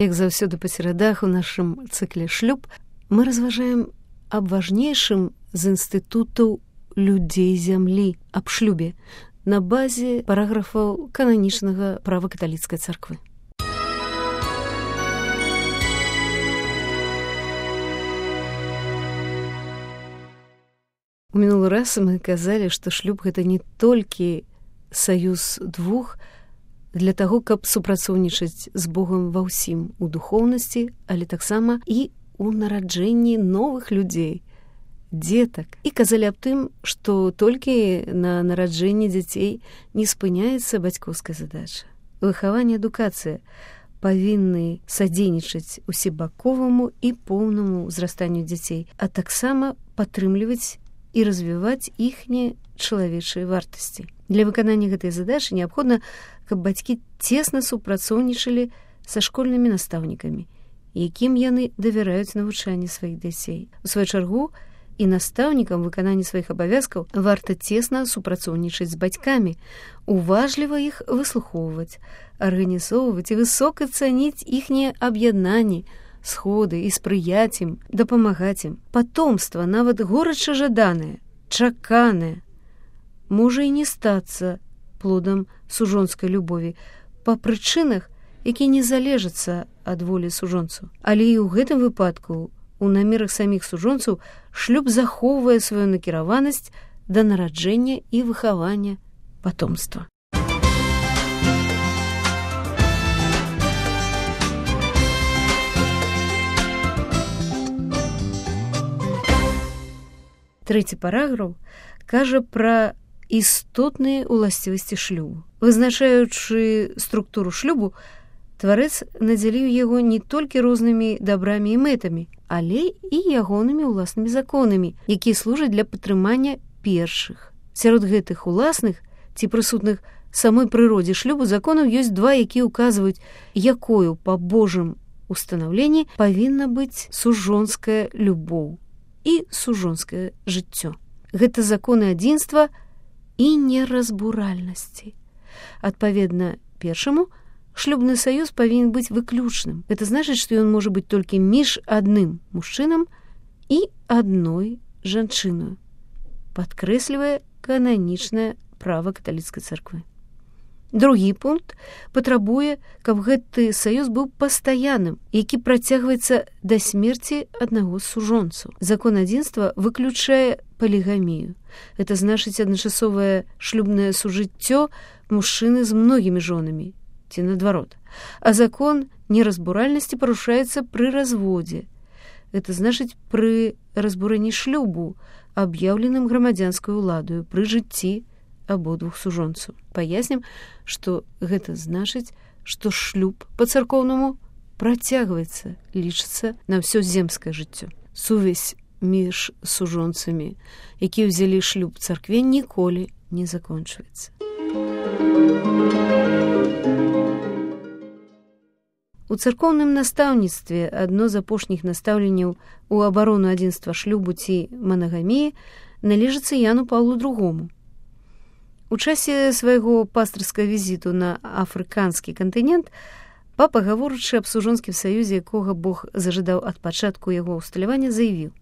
Як заўсёды па серадах у нашым цыкле «Шлюб» мы разважаем аб важнейшым з інстытутаў людзей зямлі, аб шлюбе, на базе параграфаў кананічнага права каталіцкай царквы. У мінулы раз мы казалі, што шлюб — гэта не толькі саюз двух для таго, каб супрацоўнічаць з Богам ва ўсім у духоўнасці, але таксама і у нараджэнні новых людзей, дзетак. І казалі аб тым, што толькі на нараджэнні дзяцей не спыняецца бацькоўская задача. Выхаванне, адукацыя павінны садзейнічаць усебаковаму і поўнаму ўзрастанню дзяцей, а таксама падтрымліваць і развіваць іхнія чалавечыя вартасці. Для выканання гэтай задачы неабходна, каб бацькі цесна супрацоўнічалі са школьнымі настаўнікамі, якім яны давяраюць навучанне сваіх дзяцей. У сваю чаргу, і настаўнікам выканання сваіх абавязкаў варта цесна супрацоўнічаць з бацькамі, уважліва іх выслухоўваць, арганізоўваць і высока цаніць іхнія аб'яднанні, сходы і спрыяць ім, дапамагаць ім. Патомства, нават горача жаданае, чаканае, можа і не стацца плодам сужонскай любові па прычынах, якія не залежацца ад волі сужонцаў. Але і ў гэтым выпадку у намерах саміх сужонцаў шлюб захоўвае сваю накіраванасць да нараджэння і выхавання патомства. Трэці параграф кажа пра істотныя ўласцівасці шлюбу. Вызначаючы структуру шлюбу, тварэц надзяліў яго не толькі рознымі дабрамі і мэтамі, але і ягонымі ўласнымі законамі, якія служаць для падтрымання першых. Сярод гэтых уласных ці прысутных самой прыродзе шлюбу законаў ёсць два, якія ўказваюць, якою па Божым устанаўленні павінна быць сужонская любоў і сужонскае жыццё. Гэта законы адзінства і неразбуральнасці. Адпаведна першаму, шлюбны саюз павінен быць выключным. Гэта значыць, што ён можа быць толькі між адным мужчынам і адной жанчыною, падкрэслівае кананічнае права каталіцкай царквы. Другі пункт патрабуе, каб гэты саюз быў пастаянным, які працягваецца да смерці аднаго з сужонцаў. Закон адзінства выключае полігамію. Это значыць адначасовае шлюбнае сужыццё мужчыны з многімі жонамі, ці наадварот. А закон неразбуральнасці парушаецца пры разводзе. Это значыць пры разбурэнні шлюбу, аб'яўленым грамадзянскай уладаю, пры жыцці абодвух сужонцаў. Паяснім, што гэта значыць, што шлюб па-царкоўнаму працягваецца, лічыцца на ўсё земскае жыццё. Сувязь між сужонцамі, якія ўзялі шлюб царкве, ніколі не закончваецца. У царкоўным настаўніцтве адно з апошніх настаўленняў у абарону адзінства шлюбу ці манагаміі належыцца Яну Паўлу II. У часе свайго пастырскага візіту на афрыканскі кантынент папа, гаворачы аб сужонскім саюзе, якога Бог зажадаў ад пачатку яго ўсталявання, заявіў: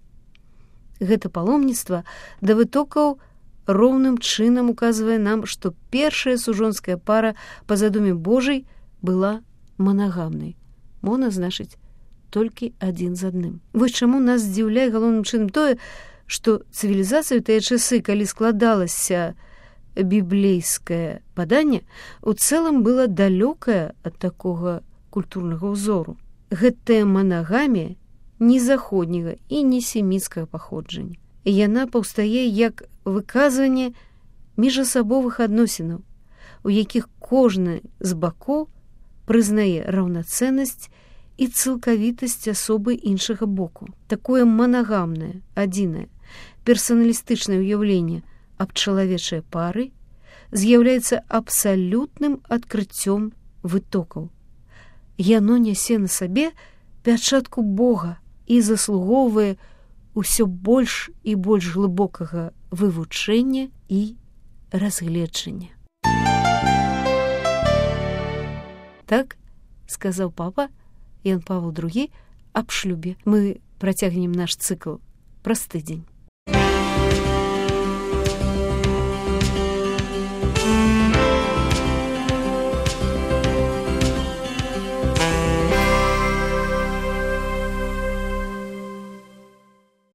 гэта паломніцтва да вытокаў роўным чынам указвае нам, што першая сужонская пара па задуме Божай была манагамнай. Мона значыць толькі адзін з адным. Вось чаму нас здзіўляе галоўным чынам тое, што цывілізацыя ў тыя часы, калі складалася біблейскае паданне, у цэлым была далёкая ад такога культурнага ўзору. Гэтая манагамія ні заходняга і ні семіцкага паходжання. Яна паўстае як выказванне міжасабовых адносінаў, у якіх кожны з бакоў прызнае раўнацэннасць і цалкавітасць асобы іншага боку. Такое манагамнае, адзінае, персаналістычнае ўяўленне аб чалавечай пары з'яўляецца абсалютным адкрыццём вытокаў. Яно нясе на сабе пячатку Бога і заслугоўвае ўсё больш і больш глыбокага вывучэння і разгледжання. Так сказаў папа, Ян Павел II аб шлюбе. Мы працягнем наш цыкл праз тыдзень.